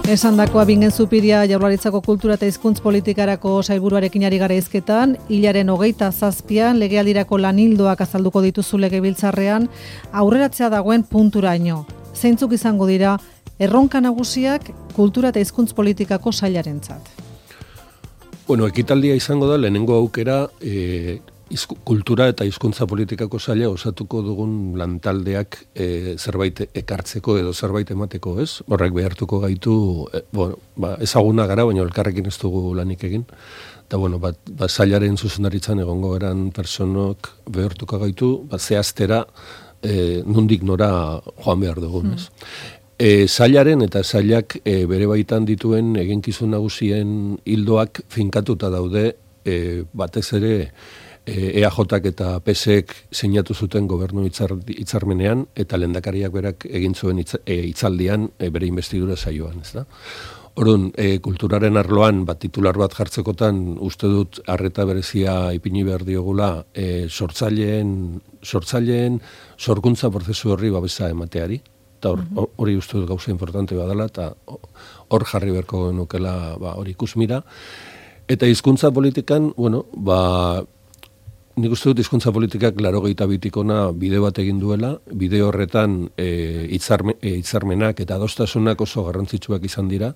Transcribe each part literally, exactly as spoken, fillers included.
Esandakoa Bingen Zupiria Jaurlaritzako kultura eta hizkuntz politikarako sailburuarekin ari gara hizketan, hilaren hogeita zazpian legealdirako lanildoak azalduko dituzu legebiltzarrean, aurreratzea dagoen punturaino. Zeintzuk izango dira erronka nagusiak kultura eta hizkuntz politikako sailarentzat? Bueno, ekitaldia izango da lehenengo aukera e, izku, kultura eta hizkuntza politikako saila osatuko dugun lantaldeak e, zerbait ekartzeko edo zerbait emateko, ez? Horrek behartuko gaitu, e, bueno, ba, ezaguna gara, baina elkarrekin ez dugu lanik egin. Eta, bueno, bat, ba, sailaren zuzendaritzan egongo eran personok behartuko gaitu, ba, zehaztera e, nondik nora joan behar dugun, ez? Mm. E, sailaren eta sailak e, bere baitan dituen eginkizun nagusien hildoak finkatuta daude e, batez ere e, E A Jak eta P S ek sinatu zuten gobernu hitzar, hitzarmenean eta lehendakariak berak egin zuen hitz, e, hitzaldian e, bere investidura saioan, ez da? Orduan, e, kulturaren arloan bat titular bat jartzekotan uste dut arreta berezia ipini behar diogula e, sortzaileen sortzaileen sorkuntza prozesu horri babesa emateari. Eta hori uste dut gauza importante badala, eta hor jarri beharko genukela ba, hori ikusmira. Eta hizkuntza politikan, bueno, ba, nik uste dut hizkuntza politikak laurogeita bitikona bide bat egin duela, bide horretan e, hitzarme, e, hitzarmenak eta adostasunak oso garrantzitsuak izan dira,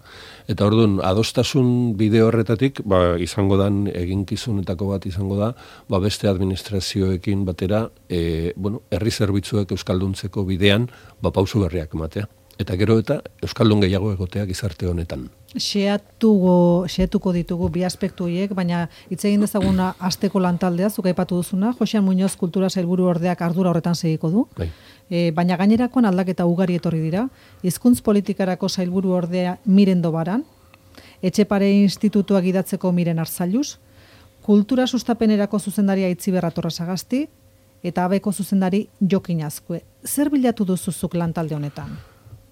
eta orduan adostasun bide horretatik ba, izango dan eginkizunetako bat izango da, ba, beste administrazioekin batera, e, bueno, herri zerbitzuek euskalduntzeko bidean ba, pausu berriak ematea. Eta gero eta euskaldun gehiago egoteak gizarte honetan. Xeatuko, xeatuko ditugu bi aspektu horiek, baina hitz egin dezaguna asteko lantaldea, zuk aipatu duzuna, Joxean Muñoz kultura sailburu ordeak ardura horretan segiko du. Bai. E, baina gainerakoan aldaketa ugari etorri dira. Hizkuntz politikarako sailburu ordea Miren Dobaran, Etxepare Institutua gidatzeko Miren Arzailuz, kultura sustapenerako zuzendaria Itziber Atorrasagasti eta abeko zuzendari Jokin Azkue. Zer bilatu duzuzuk lantalde honetan?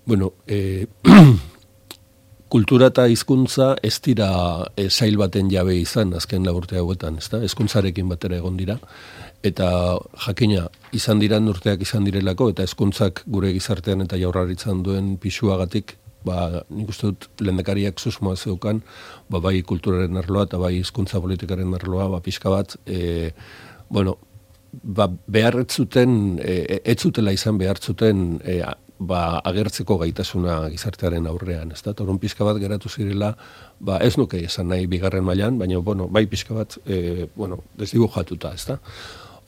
Bueno, eh, kultura eta hizkuntza ez dira eh, sail baten jabe izan azken laburte hauetan, ezta? Hezkuntzarekin batera egon dira eta jakina izan dira urteak izan direlako eta hezkuntzak gure gizartean eta Jaurlaritzan duen pisuagatik, ba, nik uste dut lehendakariak susmoa zeukan, ba, bai kulturaren arloa eta bai hizkuntza politikaren arloa, ba, pixka bat, eh, bueno, ba, behar ez zuten, eh, ez zutela izan behar zuten eh, ba, agertzeko gaitasuna gizartearen aurrean, ez da? Torun pixka bat geratu zirela, ba, ez nuke esan nahi bigarren mailan, baina, bueno, bai pixka bat, e, bueno, desdibujatuta, ez da?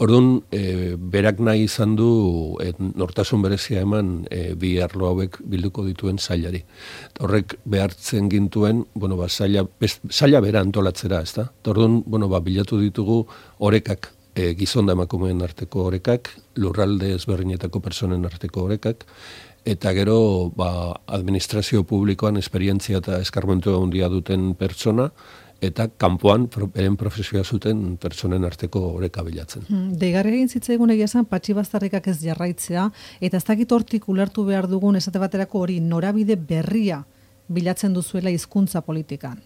Orduan, e, berak nahi izan du e, nortasun berezia eman e, bi arlo hauek bilduko dituen sailari. Horrek behartzen gintuen, bueno, ba, saila, best, saila bera antolatzera, ez da? Orduan, bueno, ba, bilatu ditugu orekak, E, gizon da emakumeen arteko orekak, lurralde ezberdinetako personen arteko orekak, eta gero ba, administrazio publikoan esperientzia eta eskarmentua handia duten pertsona, eta kanpoan beren profesioa zuten pertsonen arteko oreka bilatzen. Hmm, Deigarri egin zitzaigun egia esan patxi baztarrikak ez jarraitzea, eta ez dakit hortik ulertu behar dugun esate baterako hori norabide berria bilatzen duzuela hizkuntza politikan.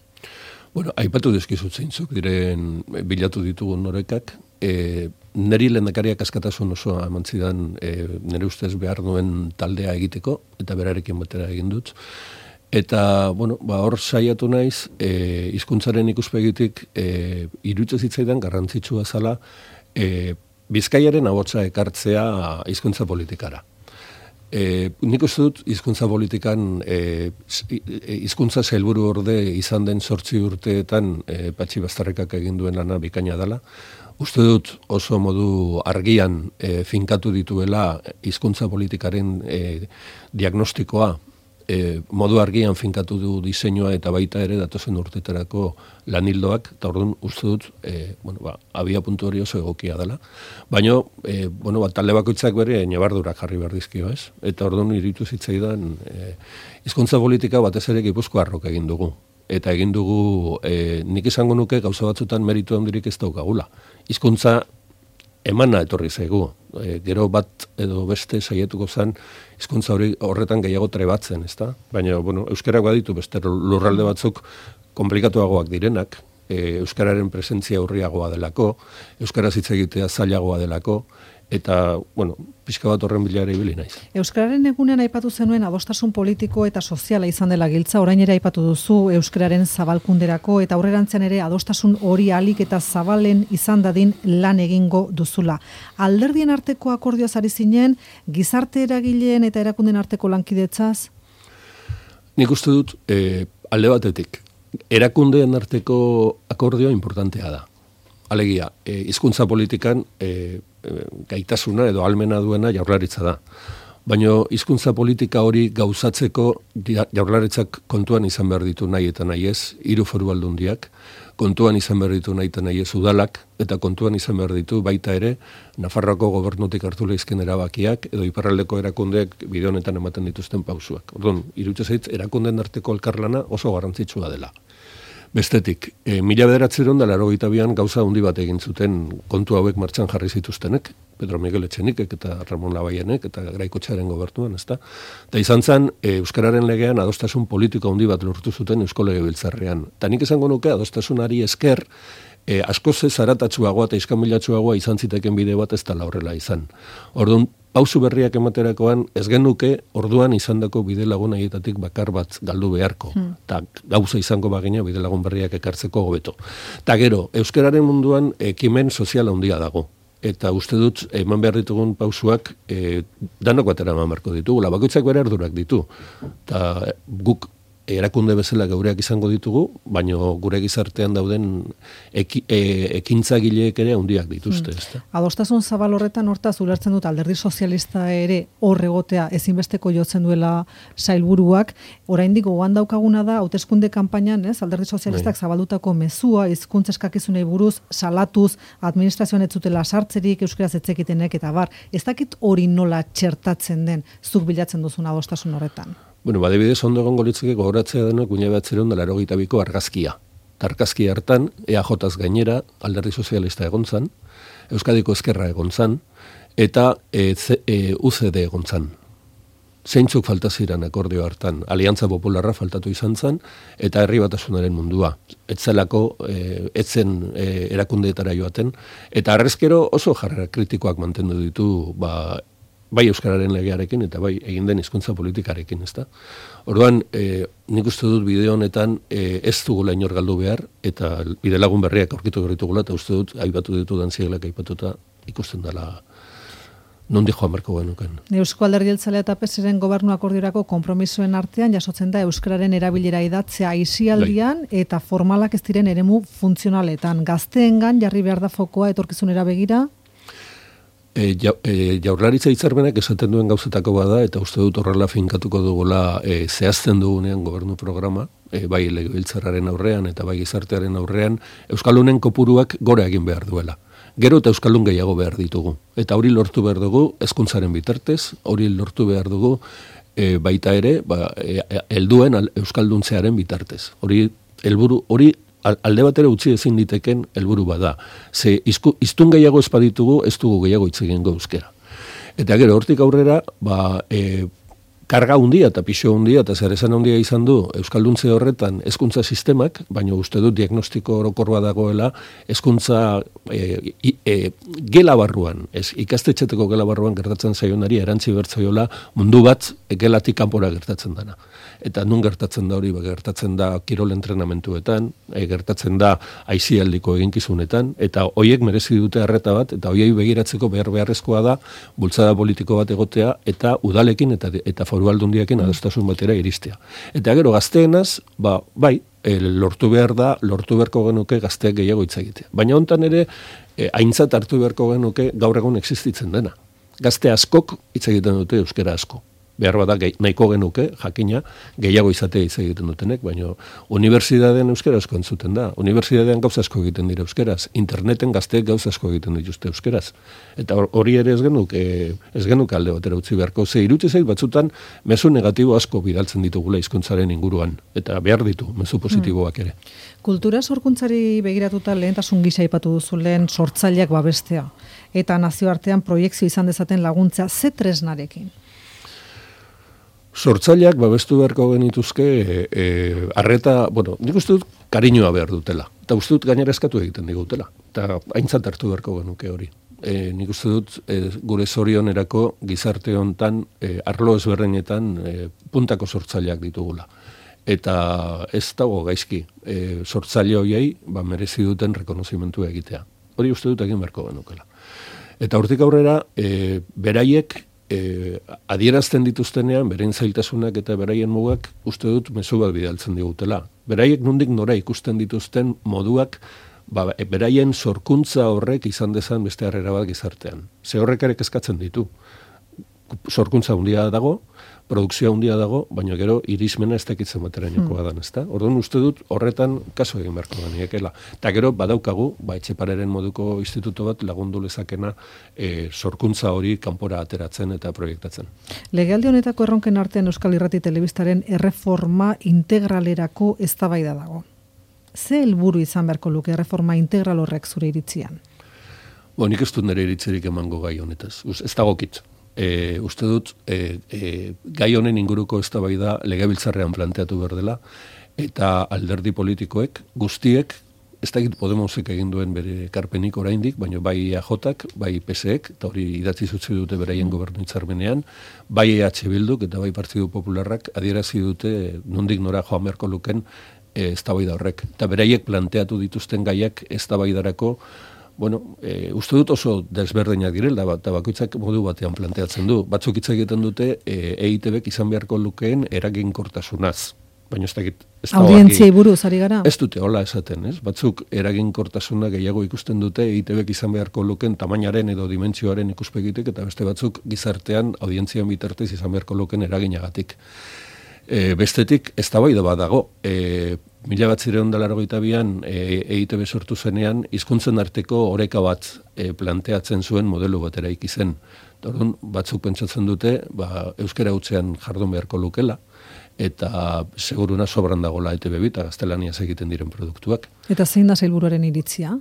Bueno, aipatu dizkizut zeintzuk diren bilatu ditugun orekak, e, neri lehendakariak askatasun osoa eman zidan e, nire ustez behar duen taldea egiteko, eta berarekin batera egin dut. Eta, bueno, ba, hor saiatu naiz, e, hizkuntzaren ikuspegitik e, iruditzen zitzaidan garrantzitsua zala e, Bizkaiaren ahotsa ekartzea hizkuntza politikara. E, nik uste dut hizkuntza politikan e, hizkuntza sailburu orde izan den zortzi urteetan e, Patxi Baztarrikak egin duen lana bikaina dela. Uste dut oso modu argian e, finkatu dituela hizkuntza politikaren e, diagnostikoa, e, modu argian finkatu du diseinua eta baita ere datozen urtetarako lanildoak, eta orduan uste dut e, bueno, ba, abia puntu hori oso egokia dela. Baina, e, bueno, ba, talde bakoitzak bere nabardurak jarri behar dizkio, ez? Eta orduan iritu zitzaidan e, hizkuntza politika batez ere Gipuzkoarrok egin dugu. Eta egin dugu, e, nik esango nuke gauza batzutan meritu handirik ez daukagula. Hizkuntza emana etorri zaigu. E, gero bat edo beste saietuko zen hizkuntza hori horretan gehiago trebatzen, ezta? Baina, bueno, euskarak baditu beste lurralde batzuk komplikatuagoak direnak, e, euskararen presentzia urriagoa delako, euskaraz hitz egitea zailagoa delako, eta, bueno, pixka bat horren bilara ibili naiz. Euskararen egunean aipatu zenuen adostasun politiko eta soziala izan dela giltza, orain ere aipatu duzu euskararen zabalkunderako eta aurrerantzean ere adostasun hori ahalik eta zabalen izan dadin lan egingo duzula. Alderdien arteko akordioaz ari zinen, gizarte eragileen eta erakunden arteko lankidetzaz? Nik uste dut, eh, alde batetik, erakundeen arteko akordioa importantea da. Alegia, eh, hizkuntza politikan eh, gaitasuna edo almena duena Jaurlaritza da. Baina hizkuntza politika hori gauzatzeko Jaurlaritzak kontuan izan behar ditu nahi eta nahi ez, hiru foru aldundiak, kontuan izan behar ditu nahi eta nahi ez udalak, eta kontuan izan behar ditu baita ere Nafarroako gobernutik hartu lehizken erabakiak edo iparraldeko erakundeek bide honetan ematen dituzten pausuak. Orduan, iruditzen zait erakunden arteko elkarlana oso garrantzitsua dela. Bestetik, e, mila bederatzeron da laurogeita bian gauza handi bat egin zuten kontu hauek martxan jarri zituztenek, Pedro Miguel Etxenikek eta Ramon Labaienek eta Graikotxearen gobernuan, ezta? Eta izan zen, e, euskararen legean adostasun politiko handi bat lortu zuten Eusko Legebiltzarrean. Eta nik esango nuke adostasunari esker, e, askoz ez zaratatsuagoa eta iskamilatsuagoa izan ziteken bide bat ez dela horrela izan. Orduan, pausu berriak ematerakoan ez genuke orduan izandako bide lagun haietatik bakar bat galdu beharko. Eta hmm. gauza izango bagina bide lagun berriak ekartzeko hobeto. Eta gero, euskararen munduan ekimen sozial handia dago. Eta uste dut, eman behar ditugun pausuak e, danok batera eman beharko ditugu. Bakoitzak bere ardurak ditu. Eta guk erakunde bezala geureak izango ditugu, baina gure gizartean dauden eki, e, ekintzagileek ere handiak dituzte. Hmm. Adostasun zabal horretan hortaz ulertzen dut alderdi sozialista ere hor egotea ezinbesteko jotzen duela sailburuak. Oraindik gogoan daukaguna da hauteskunde kanpainan, ez, alderdi sozialistak zabaldutako mezua hizkuntza eskakizunei buruz salatuz administrazioan ez zutela sartzerik euskaraz etzekitenek eta bar. Ez dakit hori nola txertatzen den zuk bilatzen duzun adostasun horretan. Bueno, badibidez ondo egongo litzake gogoratzea denok mila bederatziehun eta laurogeita biko argazkia. Argazki hartan E A Jaz gainera alderdi sozialista egon zan, Euskadiko Ezkerra egon zan, eta e, e, U C D egon zan. Zeintzuk falta ziren akordio hartan, Aliantza Popularra faltatu izan zan, eta herri batasunaren mundua. Etzelako, e, etzen e, erakundeetara joaten, eta arrezkero oso jarrera kritikoak mantendu ditu, ba, bai euskararen legearekin eta bai egin den hizkuntza politikarekin, ezta? Orduan, e, nik uste dut bideo honetan e, ez dugula inor galdu behar eta bide lagun berriak aurkitu berritugula eta uste dut aipatu ditudan ziegelak aipatuta ikusten dela nondi joan marko genuken. Eusko Alderdi Jeltzalea eta P S Ren gobernu akordiorako konpromisoen artean jasotzen da euskararen erabilera idatzea aisialdian eta formalak ez diren eremu funtzionaletan. Gazteengan jarri behar da fokoa etorkizunera begira. E, ja, e, jaurlaritza hitzarmenak esaten duen gauzetako bada, eta uste dut horrela finkatuko dugula e, zehazten dugunean gobernu programa, e, bai legebiltzarraren aurrean eta bai gizartearen aurrean, euskaldunen kopuruak gora egin behar duela. Gero eta euskaldun gehiago behar ditugu. Eta hori lortu behar dugu hezkuntzaren bitartez, hori lortu behar dugu e, baita ere, ba, e, helduen euskalduntzearen bitartez. Hori helburu hori alde batera utzi ezin diteken helburu bada. Ze hiztun gehiago ez baditugu, ez dugu gehiago hitz egingo euskera. Eta gero hortik aurrera, ba, e, karga hundia eta pixo hundia eta zer esan hundia izan du euskalduntze horretan hezkuntza sistemak, baina uste dut diagnostiko orokor bat dagoela hezkuntza e, e, gela barruan, ez ikastetxeteko gela barruan gertatzen zaionari erantzi bertzaiola mundu bat gelatik kanpora gertatzen dana. Eta nun gertatzen da hori, ba, gertatzen da kirol entrenamentuetan, e, gertatzen da aisialdiko eginkizunetan, eta hoiek merezi dute arreta bat, eta hoiei begiratzeko behar beharrezkoa da bultzada politiko bat egotea, eta udalekin eta, eta foru aldundiakin adostasun batera iristea. Eta gero gazteenaz, ba, bai, e, lortu behar da, lortu beharko genuke gazteak gehiago hitz egitea. Baina hontan ere, e, aintzat hartu beharko genuke gaur egun existitzen dena. Gazte askok hitz egiten dute euskera asko. Behar bada nahiko genuke, jakina, gehiago izatea hitz egiten dutenek, baina unibertsitatean euskera asko entzuten da. Unibertsitatean gauza asko egiten dira euskeraz. Interneten gazteek gauza asko egiten dituzte euskeraz. Eta hori ere ez genuke, ez genuke alde batera utzi beharko. Ze iruditzen zait batzutan mezu negatibo asko bidaltzen ditugula hizkuntzaren inguruan. Eta behar ditu, mezu positiboak ere. Kultura sorkuntzari begiratuta lehentasun gisa aipatu duzu lehen sortzaileak babestea. Eta nazioartean proiekzio izan dezaten laguntza ze tresnarekin. Sortzaileak babestu beharko genituzke e, e, arreta, bueno, nik uste dut kariñoa behar dutela. Eta uste dut gainera eskatu egiten digutela. Eta aintzat hartu beharko genuke hori. e, nik uste dut e, gure zorionerako gizarte hontan e, arlo ezberdinetan e, puntako sortzaileak ditugula. Eta ez dago gaizki, e, sortzaile horiei ba, merezi duten rekonozimentua egitea. Hori uste dut egin beharko genukela. Eta hortik aurrera, e, beraiek e, adierazten dituztenean, beraien zailtasunak eta beraien mugak, uste dut mezu bat bidaltzen digutela. Beraiek nondik nora ikusten dituzten moduak, ba, beraien sorkuntza horrek izan dezan beste harrera bat gizartean. Ze horrek ere kezkatzen ditu. Sorkuntza handia dago, produkzioa handia dago, baina gero irismena ez dakitzen baterainokoa dan, ezta? Orduan uste dut horretan kaso egin beharko da niekela. Eta gero badaukagu, ba Etxepareren moduko instituto bat lagundu lezakena e, sorkuntza hori kanpora ateratzen eta proiektatzen. Legealdi honetako erronken artean Euskal Irrati Telebistaren erreforma integralerako eztabaida dago. Ze helburu izan beharko luke erreforma integral horrek zure iritzian? Bo, nik ez dut nire iritzerik emango gai honetaz. Ez dagokit. E, uste dut, e, e, gai honen inguruko eztabaida legebiltzarrean planteatu behar dela, eta alderdi politikoek, guztiek, ez dakit Podemosek egin duen bere ekarpenik oraindik, baina bai E A Jak, bai P S ek, eta hori idatzi zutzi dute beraien gobernu hitzarmenean, bai E H Bilduk eta bai Partidu Popularrak adierazi dute nondik nora joan beharko luken e, eztabaida horrek. Eta beraiek planteatu dituzten gaiak eztabaidarako, bueno, e, uste dut oso desberdinak direla, eta bakoitzak modu batean planteatzen du. Batzuk hitz egiten dute e, E I Te Bek izan beharko lukeen eraginkortasunaz. Baina ez dakit... Audientziai buruz, ari gara? Ez dute, hola esaten, ez? Batzuk eraginkortasuna gehiago ikusten dute E I Te Bek izan beharko lukeen tamainaren edo dimentsioaren ikuspegitik, eta beste batzuk gizartean audientzian bitartez izan beharko lukeen eraginagatik. E, bestetik, ez da bai da badago, e, mila bat zireun da largoita bian e, E I Te Be sortu zenean, hizkuntzen arteko oreka bat e, planteatzen zuen modelo bat eraiki zen. Orduan, batzuk pentsatzen dute, ba, euskara hutzean jardun beharko lukela, eta seguruna sobran dagoela E Te Be bi eta gaztelaniaz egiten diren produktuak. Eta zein da sailburuaren iritzia?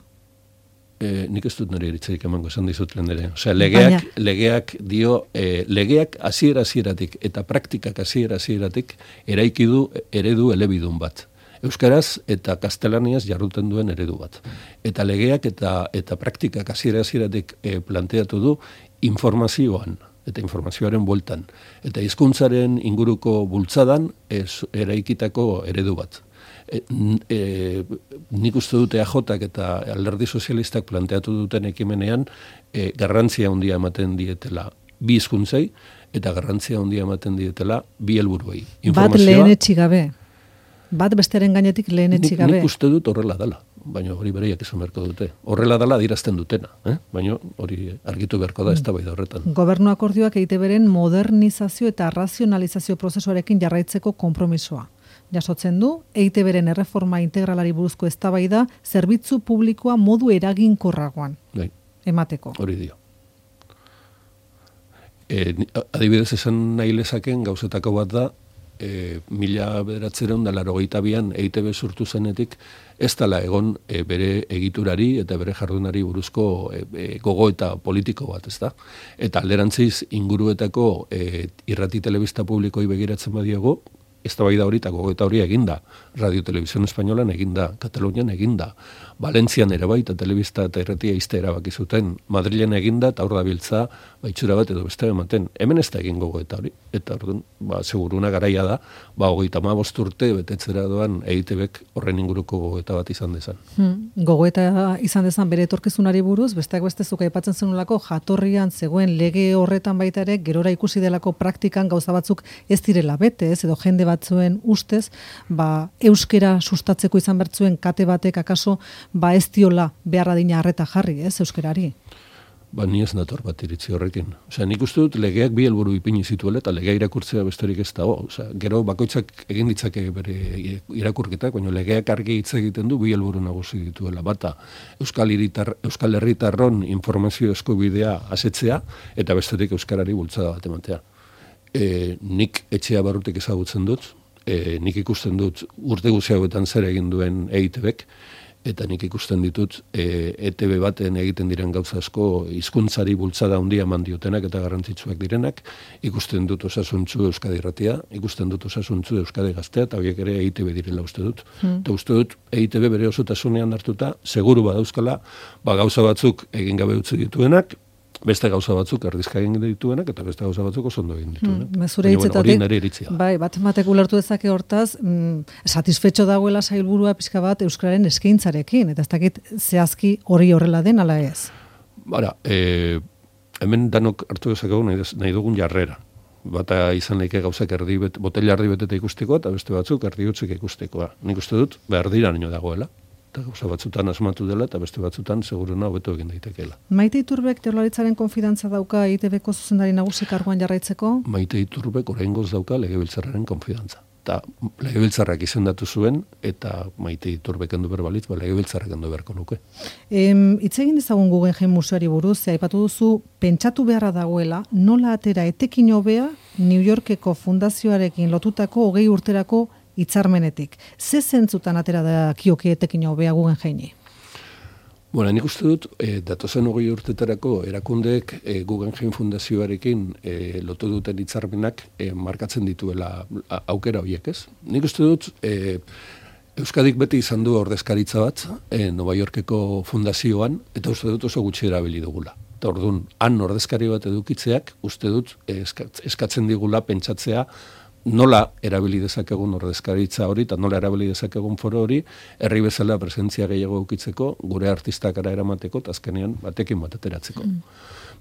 E, nik ez dut nire iritzerik emango esan dizut lehen ere. Osea, legeak, Baina... legeak dio, e, legeak hasiera hasieratik eta praktikak hasiera hasieratik eraiki du eredu elebidun bat. Euskaraz eta gaztelaniaz jarruten duen eredu bat. Eta legeak eta eta praktikak hasiera hasieratik e, planteatu du informazioan eta informazioaren bueltan. Eta hizkuntzaren inguruko bultzadan ez, eraikitako eredu bat. E, e, nik uste dute E A Jak eta alderdi sozialistak planteatu duten ekimenean e, garrantzia handia ematen dietela bi hizkuntzei eta garrantzia handia ematen dietela bi helburuei. Bat lehenetsi gabe. Bat besteren gainetik lehenetsi gabe. Nik uste dut horrela dela, baina hori bereiak izan beharko dute. Horrela dela adierazten dutena, eh? Baina hori argitu beharko da eztabaida horretan. Gobernu akordioak E I Te Beren modernizazio eta razionalizazio prozesuarekin jarraitzeko konpromisoa jasotzen du, E I Te Beren erreforma integralari buruzko eztabaida zerbitzu publikoa modu eraginkorragoan Bai. emateko. Hori dio. E, adibidez esan nahi lezaken gauzetako bat da, e, mila bederatzeron da larogeita bian E I Te Be sortu zenetik, ez dela egon e, bere egiturari eta bere jardunari buruzko e, e, gogo eta politiko bat, ez da? Eta alderantziz inguruetako e, irrati telebista publikoi begiratzen badiago, eztabaida hori eta gogoeta hori eginda. Radio Televisión Españolan eginda, Katalunian eginda, Valentzian ere bai, eta telebista eta irratia izte erabaki zuten, Madrilen eginda, eta hor da biltza, baitxura bat edo beste ematen. Hemen ez da egin gogoeta hori. Eta orduan, ba, seguruna garaia da, ba, hogeita hamabost urte betetzera doan E I Te Bek horren inguruko gogoeta bat izan dezan. Hmm, gogoeta izan dezan bere etorkizunari buruz, besteak beste zuk aipatzen zenulako jatorrian zegoen lege horretan baita ere, gerora ikusi delako praktikan gauza batzuk ez direla bete, ez, edo jende batzuen ustez, ba, euskera sustatzeko izan bertzuen kate batek akaso, ba ez diola beharra dina harreta jarri, ez, euskerari? Ba, ni ez nator bat iritzi horrekin. Osea, nik uste dut legeak bi helburu ipini zituela eta legea irakurtzea besterik ez dago. Osea, gero bakoitzak egin ditzake bere irakurketak, baina legeak argi hitz egiten du bi helburu nagusi dituela. Bata, Euskal Hiritar, Euskal Herritarron informazio eskubidea asetzea eta bestetik euskarari bultzada bat ematea. E, nik etxea barrutik ezagutzen dut, e, nik ikusten dut urte guzti hauetan zer egin duen E I Te Bek, eta nik ikusten ditut e, E T B baten egiten diren gauza asko hizkuntzari bultzada handia eman diotenak eta garrantzitsuak direnak, ikusten dut osasuntzu Euskadi Irratia, ikusten dut osasuntzu Euskadi Gaztea, eta horiek ere E I T B direla uste dut. Hmm. Eta uste dut E I T B bere osotasunean hartuta, seguru badauzkala, ba gauza batzuk egin gabe utzi dituenak, beste gauza batzuk erdizka egin dituenak, eta beste gauza batzuk oso ondo egin dituenak. Hmm, zure hitzetatik, bai, bat ematek ulertu dezake hortaz, mm, satisfetxo dagoela sailburua pixka bat Euskararen eskaintzarekin, eta ez dakit zehazki hori horrela den, ala ez? Bara, e, hemen danok hartu dezakegu nahi, nahi dugun jarrera. Bata izan leike gauzak erdi bet, botella erdi beteta ikusteko, eta beste batzuk erdi utzik ikustekoa. Nik uste dut, behar dira nio dagoela. Eta gauza batzutan asmatu dela, eta beste batzutan seguruna hobeto egin daitekeela. Maite Iturbek Jaurlaritzaren konfidantza dauka E I T Bko zuzendari nagusi karguan jarraitzeko? Maite Iturbek oraingoz dauka Legebiltzarraren konfidantza. Eta Legebiltzarrak izendatu zuen, eta Maite Iturbek endu berbalitz, ba Legebiltzarrak endu beharko nuke. Em, hitz egin dezagun Guggenheim Museoari buruz, ze aipatu duzu, pentsatu beharra dagoela, nola atera etekin hobea New Yorkeko fundazioarekin lotutako hogei urterako hitzarmenetik. Ze zentzutan atera da kioke etekin hobea Guggenheimi? Bueno, nik uste dut, e, datozen hogei urtetarako erakundeek e, Guggenheim Fundazioarekin e, lotu duten hitzarmenak e, markatzen dituela aukera horiek, ez? Nik uste dut, e, Euskadik beti izan du ordezkaritza bat e, Nova Yorkeko fundazioan, eta uste dut oso gutxi erabili dugula. Eta orduan, han ordezkari bat edukitzeak, uste dut e, eskatzen digula pentsatzea nola erabili dezakegun ordezkaritza hori, eta nola erabili dezakegun foro hori, herri bezala presentzia gehiago ukitzeko, gure artistakara eramateko, eta azkenean batekin bat ateratzeko. Mm.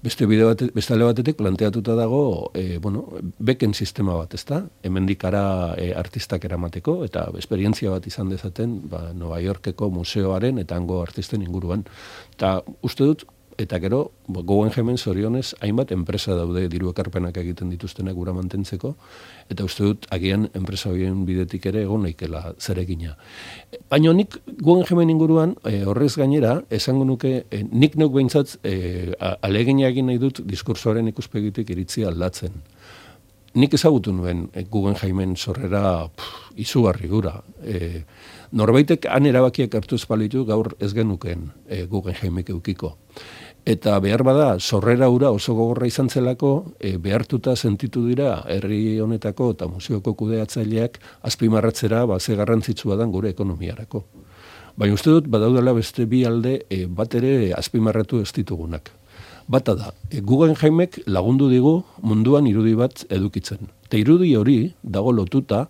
Beste bide bat, beste alde batetik planteatuta dago, e, bueno, beken sistema bat, ezta? Hemendikara e, artistak eramateko, eta esperientzia bat izan dezaten, ba, Nova Yorkeko museoaren eta hango artisten inguruan. Eta uste dut, eta gero, Guggenheimen zorionez, hainbat enpresa daude diru ekarpenak egiten dituztenak gura mantentzeko, eta uste dut, agian enpresa horien bidetik ere egon naikela zeregina. Baina nik Guggenheimen inguruan, e, horrez gainera, esango nuke, e, nik neuk behintzat, e, alegina egin nahi dut diskursoaren ikuspegitik iritzi aldatzen. Nik ezagutu nuen e, Guggenheimen sorrera pff, izugarri gura. E, norbaitek han erabakiak hartu espalitu gaur ez genuken e, Guggenheimik eukiko. Eta behar bada, sorrera ura oso gogorra izan zelako, e, behartuta sentitu dira herri honetako eta museoko kudeatzaileak azpimarratzera ba, ze garrantzitsua dan gure ekonomiarako. Baina uste dut, badaudela beste bi alde e, bat ere azpimarratu ez ditugunak. Bata da, e, Guggenheimek lagundu digu munduan irudi bat edukitzen. Eta irudi hori dago lotuta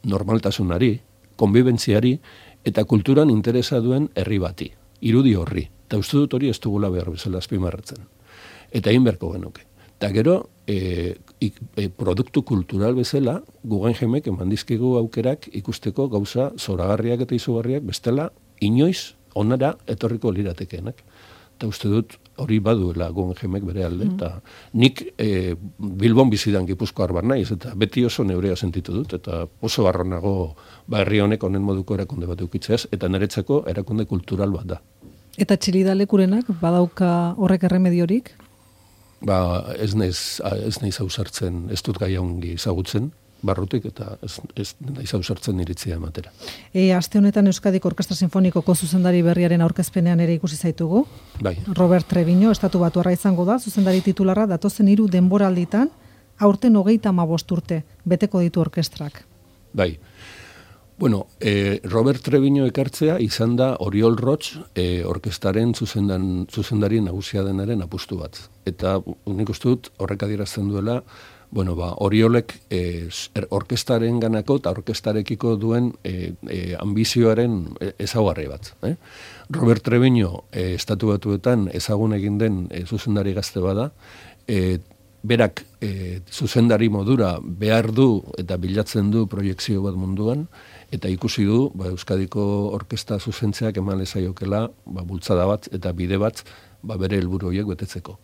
normaltasunari, konbibentziari eta kulturan interesa duen herri bati. Irudi horri. Eta uste dut hori ez dugula behar bezala azpimarratzen. Eta egin beharko genuke. Eta gero, e, e, produktu kultural bezala, Guggenheimek eman dizkigu aukerak ikusteko gauza zoragarriak eta izugarriak bestela inoiz onara etorriko liratekeenak. Eta uste dut hori baduela Guggenheimek bere alde. Mm. Eta nik e, Bilbon bizidan Gipuzkoar bar naiz, eta beti oso neurea sentitu dut, eta oso barronago ba, herri honek honen moduko erakunde bat eukitzeaz, eta niretzako erakunde kultural bat da. Eta Txilida lekurenak badauka horrek erremediorik? Ba, ez naiz, ez naiz ausartzen, ez dut gai ongi ezagutzen, barrutik, eta ez, ez naiz ausartzen iritzia ematera. E, aste honetan Euskadiko Orkestra Sinfonikoko zuzendari berriaren aurkezpenean ere ikusi zaitugu. Bai. Robert Treviño, estatu batuarra izango da, zuzendari titularra, datozen hiru denboralditan, aurten hogeita hamabost urte, beteko ditu orkestrak. Bai. Bueno, eh, Robert Treviño ekartzea izan da Oriol Roch eh, orkestaren zuzendan, zuzendari nagusia denaren apustu bat. Eta nik uste dut horrek adierazten duela, bueno, ba, Oriolek eh, orkestaren ganako eta orkestarekiko duen eh, eh, ambizioaren ezaugarri bat. Eh? Robert Treviño eh, estatu batuetan ezagun egin den eh, zuzendari gazte bada, eh, berak e, zuzendari modura behar du eta bilatzen du proiekzio bat munduan, eta ikusi du ba, Euskadiko orkesta zuzentzeak eman lezaiokela ba, bultzada bat eta bide bat ba, bere helburu horiek betetzeko.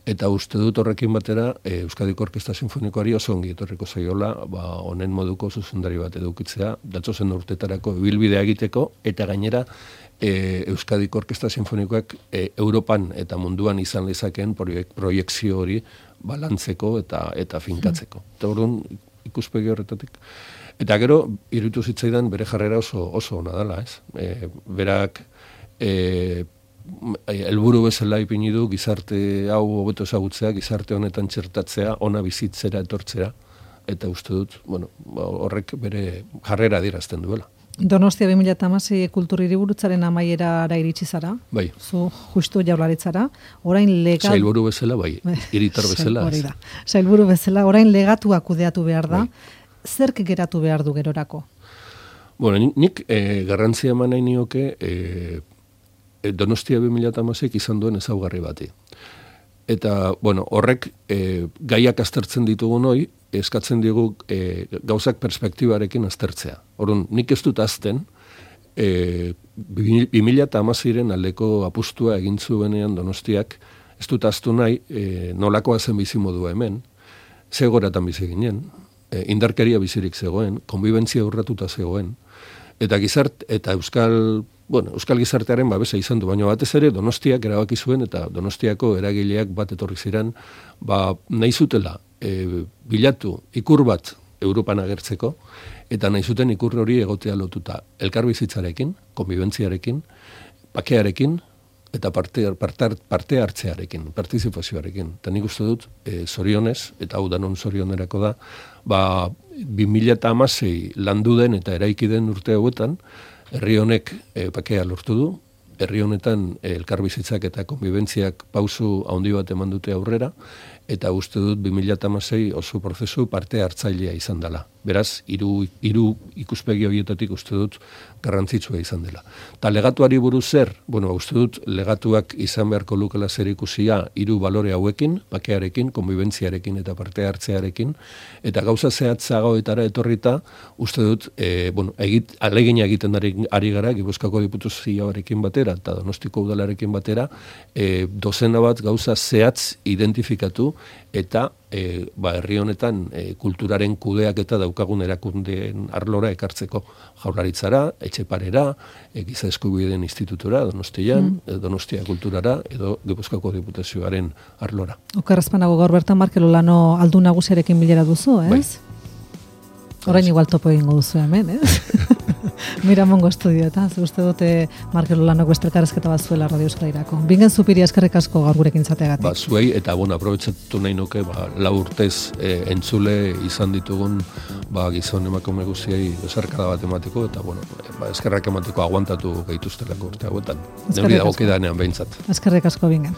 Eta uste dut horrekin batera e, Euskadiko Orkesta Sinfonikoari oso ongi etorriko zaiola ba, honen moduko zuzendari bat edukitzea, datzozen urtetarako ibilbidea egiteko, eta gainera E, Euskadiko Orkesta Sinfonikoak e, Europan eta munduan izan lezakeen proiek, proiekzio hori balantzeko eta eta finkatzeko. Eta orduan ikuspegi horretatik Eta gero, iruditu zitzaidan bere jarrera oso oso ona dela, ez? E, berak e, helburu bezala ipini du gizarte hau hobeto ezagutzea, gizarte honetan txertatzea, ona bizitzera etortzera, eta uste dut, bueno, horrek bere jarrera adierazten duela. Donostia bi mila hamasei kultur hiriburutzaren amaierara iritsi zara. Bai. Zu justu jaurlaritzara, orain legal Sailburu bezala bai, hiritar bezala. Hori da. Sailburu bezala, orain legatua kudeatu behar da. Bai. Zerk geratu behar du gerorako? Bueno, nik, nik eh, garrantzia eman nahi nioke eh, Donostia bi mila hamasei izan duen ezaugarri bati. Eta, bueno, horrek e, gaiak aztertzen ditugun hoi, eskatzen digu e, gauzak perspektibarekin aztertzea. Orduan, nik ez dut azten, e, bi mila hamaseiren aldeko apustua egin zuenean Donostiak, ez dut aztu nahi, e, nolakoa zen bizimodua hemen, zegoratan bizi ginen, e, indarkeria bizirik zegoen, konbibentzia urratuta zegoen, eta gizart, eta euskal, bueno, euskal gizartearen babesa izan du, baina batez ere Donostiak erabaki zuen, eta Donostiako eragileak bat etorri ziren, ba, nahi zutela, e, bilatu ikur bat Europan agertzeko, eta nahi zuten ikur hori egotea lotuta elkarbizitzarekin, konbibentziarekin, bakearekin, eta parte, parte, parte hartzearekin, partizipazioarekin. Eta nik uste dut, e, zorionez, eta hau danon zorionerako da, ba, bi mila hamasei landu den eta eraiki den urte hauetan, herri honek e, bakea lortu du, herri honetan e, elkarbizitzak eta konbibentziak pausu handi bat eman dute aurrera, eta uste dut bi mila hamasei oso prozesu parte hartzailea izan dela. Beraz, hiru hiru ikuspegi horietatik uste dut garrantzitsua izan dela. Ta legatuari buruz zer, bueno, uste dut legatuak izan beharko lukela zer ikusia hiru balore hauekin, bakearekin, konbibentziarekin eta parte hartzearekin, eta gauza zehatzagoetara etorrita, uste dut, e, bueno, egit, alegina egiten ari, ari gara, Gipuzkoako Diputazioarekin batera, eta Donostiko Udalarekin batera, e, dozena bat gauza zehatz identifikatu, eta e, ba, herri honetan e, kulturaren kudeak eta daukagun erakundeen arlora ekartzeko Jaurlaritzara, Etxeparera, e, Giza Eskubideen Institutura, Donostian, mm. Donostia Kulturara, edo Gipuzkoako Diputazioaren arlora. Okerrezpanago gaur bertan Markel Olano aldu nagusiarekin bilera duzu, ez? Bai. Orain igual topo egingo duzu hemen, ez? Miramongo estudio, eta uste dute Markel Olanok beste elkarrezketa bat zuela Radio Euskadirako. Bingen Zupiri eskerrik asko gaur gurekin zateagatik. Ba, zuei, eta bueno, aprobetxatu nahi nuke, ba, lau urtez e, entzule izan ditugun ba, gizon emakume guztiei bezarkada bat emateko, eta bueno, ba, eskerrak emateko aguantatu gaituztelako urte hauetan. Neuri dagokidanean behintzat. Eskerrik asko Bingen.